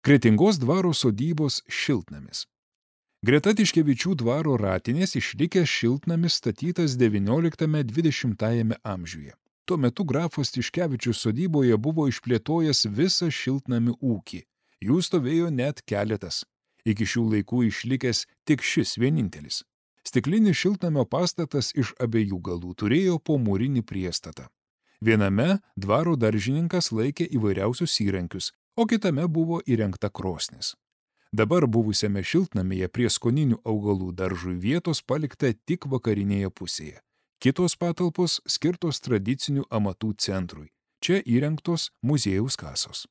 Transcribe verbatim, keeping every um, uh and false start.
Kretingos dvaro sodybos šiltnamis. Greta Tiškevičių dvaro ratinės išlikęs šiltnamis statytas devynioliktame dvidešimtajame amžiuje. Tuo metu grafas Tiškevičius sodyboje buvo išplėtojęs visą šiltnamių ūkį. Jų stovėjo net keletas. Iki šių laikų išlikęs tik šis vienintelis. Stiklinis šiltnamio pastatas iš abiejų galų turėjo po mūrinį priestatą. Viename dvaro daržininkas laikė įvairiausius įrankius, o kitame buvo įrengta krosnis. Dabar buvusiame šiltnamyje prie skoninių augalų daržui vietos palikta tik vakarinėje pusėje. Kitos patalpos skirtos tradicinių amatų centrui. Čia įrengtos muziejaus kasos.